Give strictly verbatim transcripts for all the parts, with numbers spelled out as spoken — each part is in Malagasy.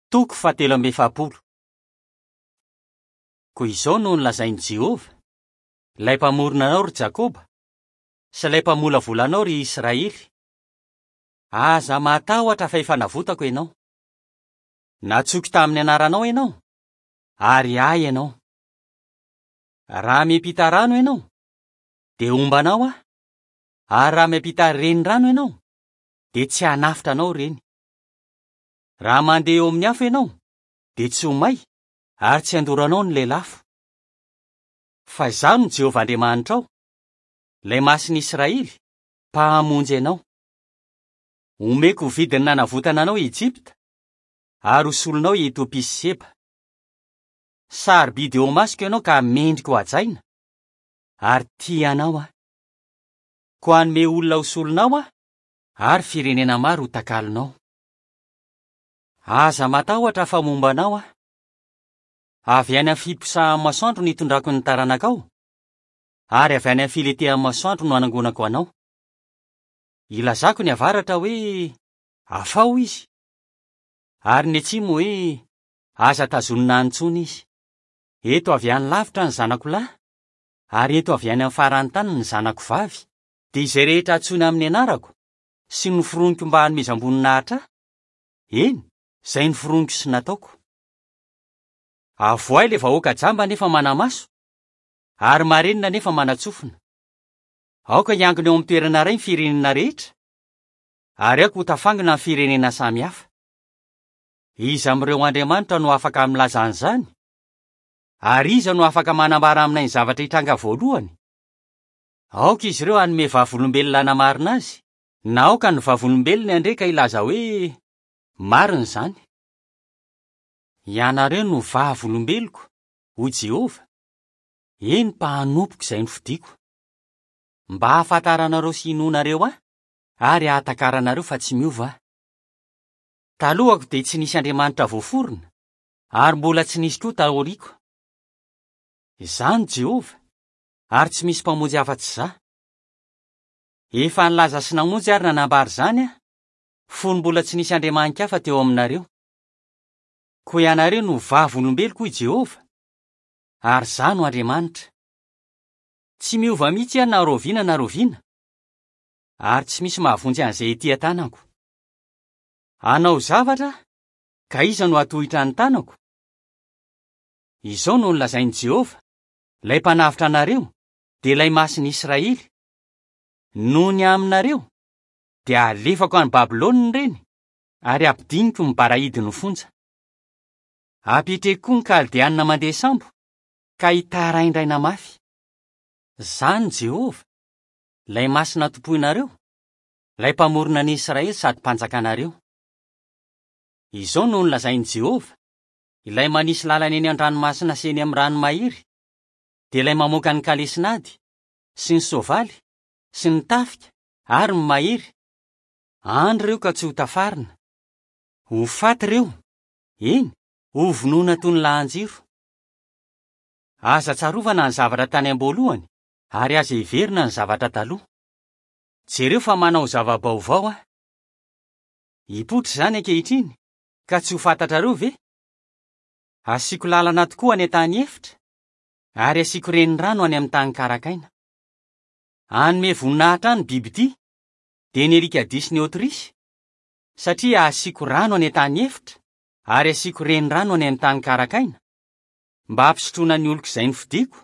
Toko fahatelo amby efapolo. Koa izao no nolazain'i Jehovah, ilay mpamorona anao ry Jakoba, sy ilay mpamolavola anao ry Israely: Aza matahotra fa efa navotako ianao. Nantsoiko tamin'ny anaranao ianao, ary ahy ianao. Raha miampita rano ianao, dia homba anao aho, ary raha miampita renirano ianao, dia tsy hanafotra anao ireny. Raha mandeha eo amin'ny afo ianao, dia tsy ho may, ary tsy handoro anao ny lelafo. Fa izaho no Jehovah Andriamanitrao, ilay Masin'i Israely, mpahamonjy anao. Omeko ho vidiny nanavotana anao i Ejipta, ary ho solonao i Etiopia sy Seba. Sarobidy eo imasoko ianao ka mendrika ho hajaina, ary tia anao aho. Koa hanome olona ho solonao aho, ary firenena maro ho takalonao. Aza matahotra fa momba anao aho. Avy any amin'ny fiposahan'ny masoandro no hitondrako ny taranakao, ary avy any amin'ny filentehan'ny masoandro no hanangonako anao. Ilazako ny avaratra hoe: afaho izy, ary ny atsimo hoe: aza tazonina any intsony izy. Eto avy any lavitra ny zanako lahy, ary eto avy any amin'ny faran'ny tany ny zanako vavy, dia izay rehetra antsoina amin'ny anarako sy noforoniko mba hanomezam-boninahitra ahy, eny, izay noforoniko sy nataoko. Avoahy ilay vahoaka jamba nefa mana-maso, ary marenina nefa manan-tsofina. Aoka hiangona eo amin'ny toerana iray ny firenena rehetra, ary aoka ho tafangona ny firenena samihafa. Iza amin'ireo andriamanitra no afaka milaza an'izany? Ary iza no afaka manambara aminay ny zavatra hitranga voalohany? Aoka izy ireo hanome vavolombelona hanamarina azy, na aoka ny vavolombelony handre ka hilaza hoe: marina izany. Ianareo no vavolombeloko, hoy Jehovah, eny mpanompoko izay nofidiko, mba hahafantaranareo sy hinoanareo ahy, ary hahatakaranareo fa tsy miova aho. Talohako dia tsy nisy andriamanitra voaforona, ary mbola tsy nisy koa taoriako. Izaho no Jehovah, ary tsy misy mpamonjy afa-tsy izaho. Efa nilaza sy namonjy ary nanambara izany aho, fony mbola tsy nisy andriamani-kafa teo aminareo. Koa ianareo no vavolombeloko, hoy Jehovah, ary izaho no Andriamanitra. Tsy miova mihitsy aho na rahoviana na rahoviana, ary tsy misy mahavonjy an'izay ety an-tanako. Hanao zavatra aho, ka iza no hatohitra ny tanako? Izao no nolazain'i Jehovah, ilay mpanavotra anareo, dia ilay Masin'i Israely: Noho ny aminareo, dia alefako any Babylona ireny, ary ampidiniko ny barahidin'ny fonja. Apetreko koa ny Kaldeanina mandeha sambo, ka hitaraindraina mafy. Izaho no Jehovah, ilay Masina tompoinareo, ilay mpamorona an'i Israely sady mpanjakanareo. Izao no nolazain'i Jehovah, ilay manisy lalana eny an-dranomasina sy eny amin'ny rano mahery, dia ilay mamoaka ny kalesinady, sy ny soavaly, sy ny tafika ary ny mahery. Andry ireo ka tsy ho tafarina. Ho faty ireo, eny, ho vonoina toy ny lahan-jiro. Aza tsarovana ny zavatra tany am-boalohany, ary aza heverina ny zavatra taloha. Jereo fa manao zava-baovao aho. Hipoitra izany ankehitriny, ka tsy ho fantatrareo ve? Asiako lalana tokoa any an-tany efitra, ary asiako renirano any amin'ny tany karakaina. Hanome voninahitra ahy ny bibidia, dia ny alikadia sy ny aotrisy, satria asiako rano any an-tany efitra, ary asiako renirano any amin'ny tany karakaina, mba hampisotroana ny oloko izay nofidiko,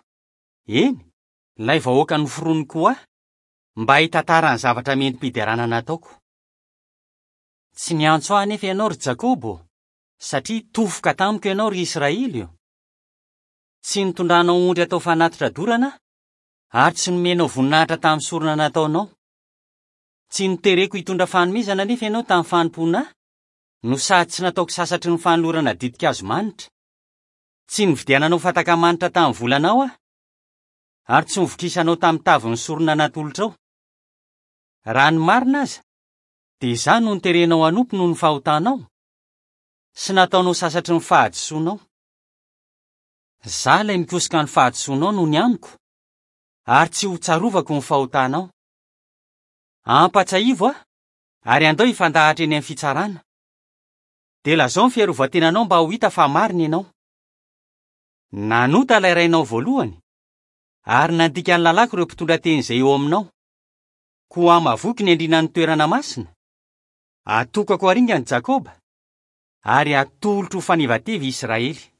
eny, ilay vahoaka noforoniko ho ahy, mba hitantara ny zavatra mendri-piderana nataoko. Tsy niantso ahy anefa ianao ry Jakoba ô, satria tofoka tamiko ianao ry Israely ô. Tsy nitondranao ondry atao fanatitra dorana aho, ary tsy nomenao voninahitra tamin'ny sorona nataonao. Tsy notereko hitondra fanomezana anefa ianao tamin'ny fanompoana ahy, no sady tsy nataoko sasatry ny fanolorana ditin-kazo manitra. Tsy nividiananao fataka manitra tamin'ny volanao aho, ary tsy novokisanao tamin'ny tavin'ny sorona natolotrao. Raha ny marina aza, dia izaho no noterenao hanompo noho ny fahotanao, sy nataonao sasatry ny fahadisoanao. Izaho ilay mikosoka ny fahadisoanao noho ny amiko, ary tsy ho tsarovako ny fahotanao. Ampatsiahivo aho, ary andao hifandahatra eny amin'ny fitsarana. Dia lazao ny fiarovan-tenanao mba ho hita fa marina ianao. Nanota ilay rainao voalohany, ary nandika ny lalàko ireo mpitondra teny izay eo aminao. Koa hamavoiko ny andrinan'ny toerana masina, atokako haringana Jakoba, ary atolotro ho fanevateva Israely.